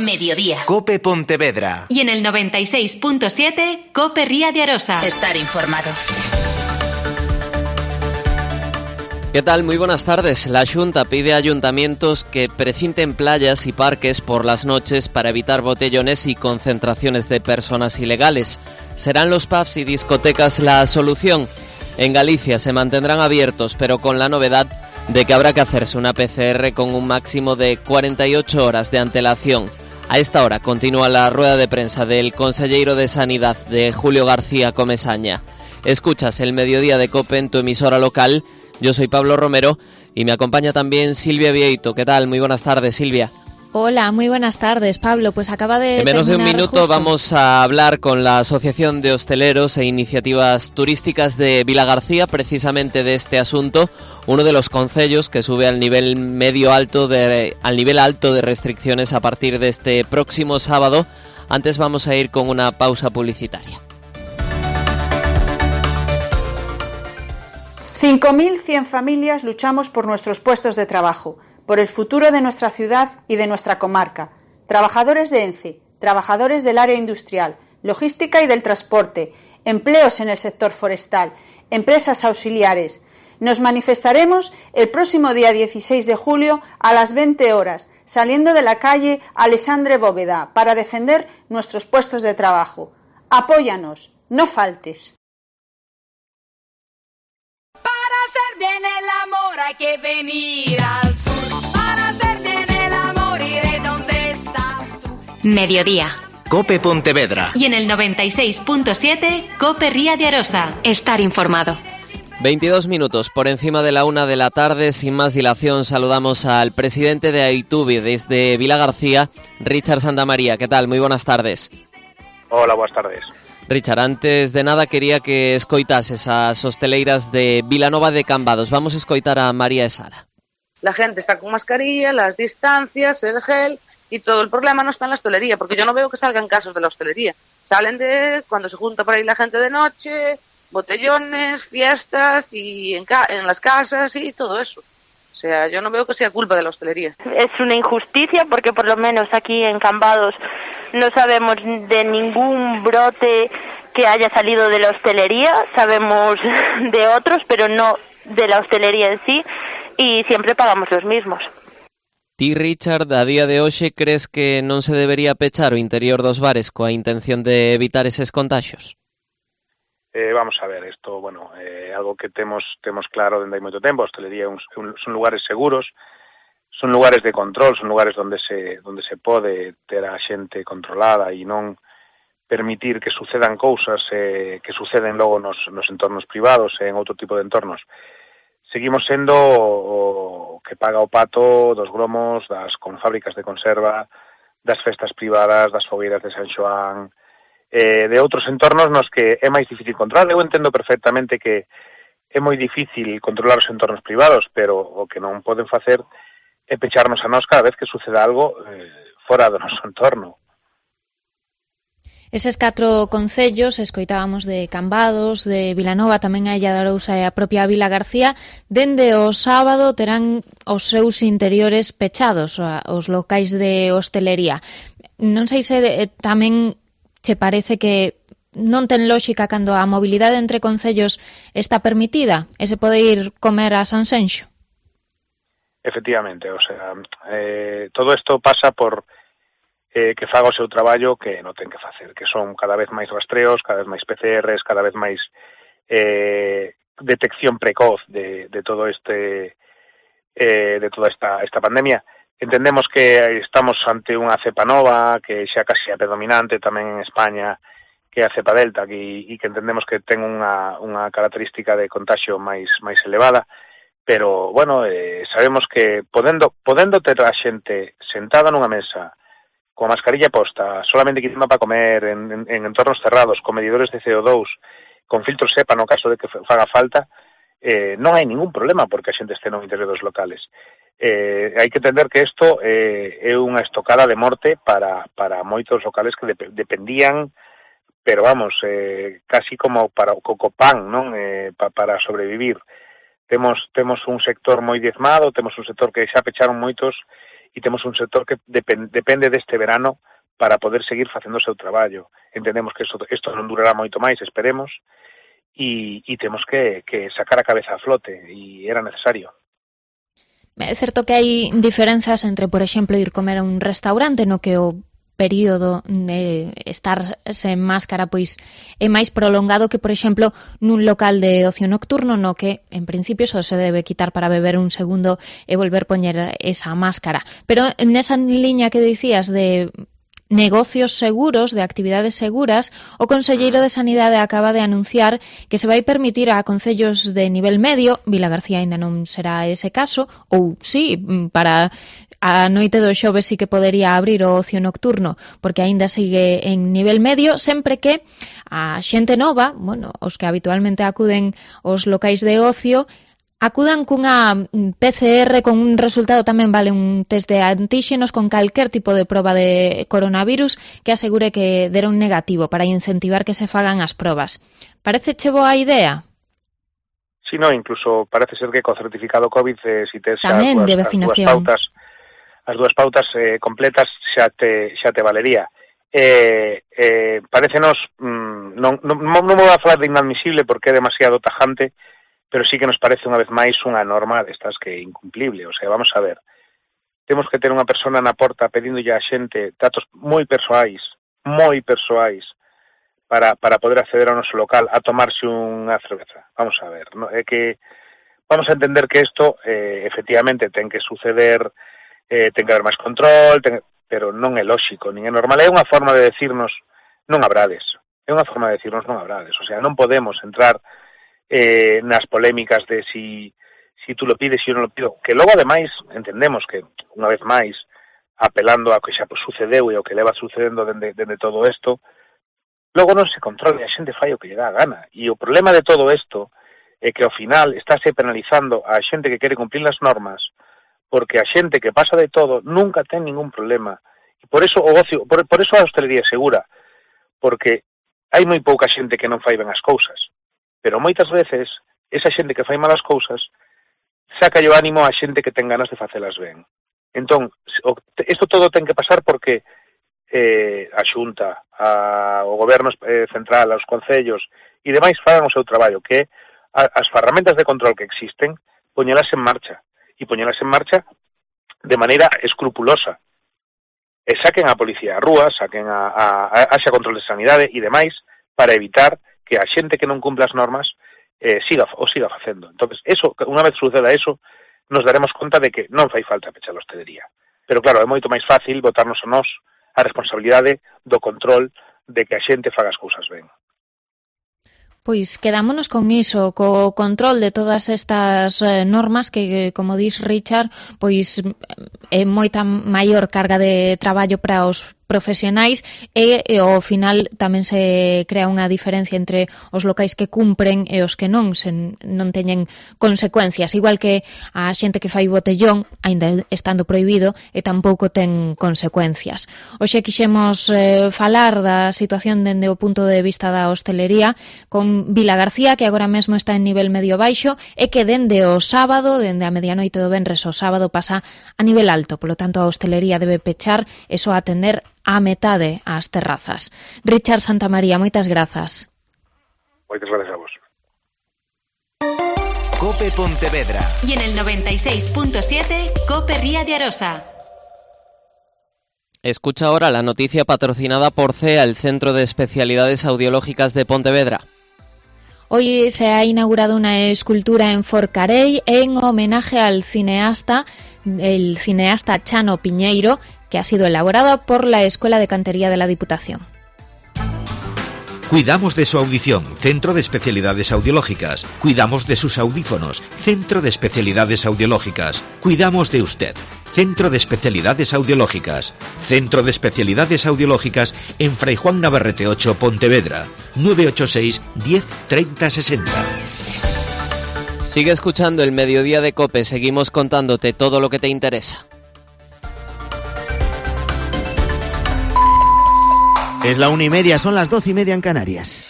Mediodía. COPE Pontevedra. Y en el 96.7, COPE Ría de Arosa. Estar informado. ¿Qué tal? Muy buenas tardes. La Xunta pide a ayuntamientos que precinten playas y parques por las noches para evitar botellones y concentraciones de personas ilegales. ¿Serán los pubs y discotecas la solución? En Galicia se mantendrán abiertos, pero con la novedad de que habrá que hacerse una PCR con un máximo de 48 horas de antelación. A esta hora continúa la rueda de prensa del conselleiro de Sanidad, de Julio García Comesaña. Escuchas el Mediodía de COPE en tu emisora local. Yo soy Pablo Romero y me acompaña también Silvia Vieito. ¿Qué tal? Muy buenas tardes, Silvia. Hola, muy buenas tardes, Pablo. Pues acaba de En menos de un minuto justo. Vamos a hablar con la Asociación de Hosteleros e Iniciativas Turísticas de Vilagarcía, precisamente de este asunto, uno de los concellos que sube al nivel alto de restricciones a partir de este próximo sábado. Antes vamos a ir con una pausa publicitaria. 5.100 familias luchamos por nuestros puestos de trabajo, por el futuro de nuestra ciudad y de nuestra comarca. Trabajadores de ENCE, trabajadores del área industrial, logística y del transporte, empleos en el sector forestal, empresas auxiliares. Nos manifestaremos el próximo día 16 de julio a las 20 horas, saliendo de la calle Alexandre Bóveda, para defender nuestros puestos de trabajo. Apóyanos, no faltes. Bien el amor hay que venir al sur. Para hacer bien el amor iré donde estás tú. Mediodía. COPE Pontevedra. Y en el 96.7, COPE Ría de Arosa. Estar informado. 22 minutos por encima de la 1 de la tarde. Sin más dilación, saludamos al presidente de Aitubi desde Vilagarcía, Richard Santamaría. ¿Qué tal? Muy buenas tardes. Hola, buenas tardes. Richard, antes de nada quería que escoitases as hosteleiras de Vilanova de Cambados. Vamos a escoitar a María e Sara. La gente está con mascarilla, las distancias, el gel, y todo el problema no está en la hostelería, porque yo no veo que salgan casos de la hostelería. Salen de cuando se junta por ahí la gente de noche, botellones, fiestas y en las casas y todo eso. O sea, yo no veo que sea culpa de la hostelería. Es una injusticia porque por lo menos aquí en Cambados no sabemos de ningún brote que haya salido de la hostelería, sabemos de otros, pero no de la hostelería en sí, y siempre pagamos los mismos. Ti, Richard, a día de hoxe crees que non se debería pechar o interior dos bares coa intención de evitar eses contaxios? Vamos a ver, esto, bueno, algo que temos claro dende hai moito tempo. A hostelería son lugares seguros, son lugares de control, son lugares onde se pode ter a xente controlada e non permitir que sucedan cousas que suceden logo nos entornos privados e en outro tipo de entornos. Seguimos sendo o que paga o pato dos gromos, con fábricas de conserva, das festas privadas, das fogueiras de San Xoán, de outros entornos nos que é máis difícil controlar. Eu entendo perfectamente que é moi difícil controlar os entornos privados, pero o que non poden facer é pecharnos a nós cada vez que suceda algo fora do noso entorno. Eses 4 concellos, escoitábamos de Cambados, de Vilanova, tamén a Illa de Arousa e a propia Vilagarcía, dende o sábado terán os seus interiores pechados, os locais de hostelería. Non sei se tamén che parece que non ten lógica cando a mobilidade entre concellos está permitida e se pode ir comer a Sanxenxo? Efectivamente, o sea, todo isto pasa por que faga o seu traballo que non ten que facer, que son cada vez máis rastreos, cada vez máis PCRs, cada vez máis detección precoz de todo de toda esta pandemia. Entendemos que estamos ante unha cepa nova, que xa casi é predominante tamén en España, que é a cepa Delta, e que entendemos que ten unha característica de contagio máis elevada, pero, bueno, sabemos que podendo ter a xente sentada nunha mesa, con a mascarilla posta, solamente quitando para comer, en entornos cerrados, con medidores de CO2, con filtros SEPA no caso de que faga falta, non hai ningún problema porque a xente este no interior dos locales. Hai que entender que isto é unha estocada de morte para moitos locales que dependían, pero vamos, casi como para o cocopan, non? Para sobrevivir. Temos un sector moi diezmado, temos un sector que xa pecharon moitos e temos un sector que depende deste verano para poder seguir facendo o seu traballo. Entendemos que isto non durará moito máis, esperemos, e temos que sacar a cabeza a flote, e era necesario. É certo que hai diferenzas entre, por exemplo, ir comer a un restaurante no que o período de estar sen máscara pois é máis prolongado que, por exemplo, nun local de ocio nocturno no que, en principio, só se debe quitar para beber un segundo e volver poñer esa máscara. Pero nesa liña que dicías de negocios seguros, de actividades seguras, o Conselleiro de Sanidade acaba de anunciar que se vai permitir a concellos de nivel medio, Vilagarcía aínda non será ese caso, ou sí, para a noite do xoves sí que podería abrir o ocio nocturno, porque aínda sigue en nivel medio, sempre que a xente nova, bueno, os que habitualmente acuden aos locais de ocio, acudan cunha PCR con un resultado, tamén vale un test de antíxenos con calquer tipo de proba de coronavirus que asegure que dera un negativo para incentivar que se fagan as probas. Parece che boa idea? Si, no, incluso parece ser que co certificado COVID, si tes tamén de vacinación. As dúas pautas completas xa te valería. Parecenos, non me vou a falar de inadmisible porque é demasiado tajante, pero sí que nos parece unha vez máis unha norma destas que é incumplible. O sea, vamos a ver, temos que ter unha persona na porta pedíndolle a xente datos moi persoais para poder acceder ao noso local a tomarse unha cerveza. Vamos a ver, ¿no? É que vamos a entender que isto efectivamente ten que suceder, ten que haber máis control, pero non é lóxico, nin é normal. É unha forma de decirnos non abrades. O sea, non podemos entrar nas polémicas de si tú lo pides, si eu non lo pido, que logo ademais entendemos que unha vez máis apelando a que xa sucedeu e o que leva sucedendo dende todo isto, logo non se controla, a xente fai o que lle dá a gana, e o problema de todo isto é que ao final estáse penalizando a xente que quere cumplir as normas, porque a xente que pasa de todo nunca ten ningún problema, e por eso o ocio, por eso a hostelería é segura, porque hai moi pouca xente que non fai ben as cousas. Pero moitas veces, esa xente que fai malas cousas saca o ánimo a xente que ten ganas de facelas ben. Entón, isto todo ten que pasar porque a Xunta, o Goberno central, os concellos e demais fagan o seu traballo, que as ferramentas de control que existen, poñelas en marcha, e poñelas en marcha de maneira escrupulosa. E saquen a policía a rúa, saquen haxa control de sanidade e demais, para evitar que a xente que non cumpla as normas siga facendo. Entonces, eso, unha vez suceda eso, nos daremos conta de que non fai falta pechar a hostelería. Pero claro, é moito máis fácil botarnos a nós a responsabilidade do control de que a xente faga as cousas ben. Pois quedámonos con iso, co control de todas estas normas que, como dis Richard, pois é moita maior carga de traballo para os profesionais e ao final tamén se crea unha diferencia entre os locais que cumpren e os que non teñen consecuencias, igual que a xente que fai botellón, aínda estando prohibido, e tampouco ten consecuencias. Hoxe quixemos falar da situación dende o punto de vista da hostelería con Vilagarcía, que agora mesmo está en nivel medio baixo e que dende o sábado, dende a medianoite do venres ao sábado, pasa a nivel alto, polo tanto a hostelería debe pechar e só atender a metade ás terrazas. Richard Santamaría, moitas grazas. Moitas grazas a vos. COPE Pontevedra. Y en el 96.7 COPE Ría de Arosa. Escucha ahora la noticia patrocinada por CEA, el Centro de Especialidades Audiológicas de Pontevedra. Hoy se ha inaugurado una escultura en Forcarei en homenaje al cineasta, el cineasta Chano Piñeiro, que ha sido elaborada por la Escuela de Cantería de la Diputación. Cuidamos de su audición, Centro de Especialidades Audiológicas. Cuidamos de sus audífonos, Centro de Especialidades Audiológicas. Cuidamos de usted, Centro de Especialidades Audiológicas. Centro de Especialidades Audiológicas en Fray Juan Navarrete 8, Pontevedra. 986 10 30 60. Sigue escuchando el Mediodía de COPE, seguimos contándote todo lo que te interesa. Es la 1:30, son las 12:30 en Canarias.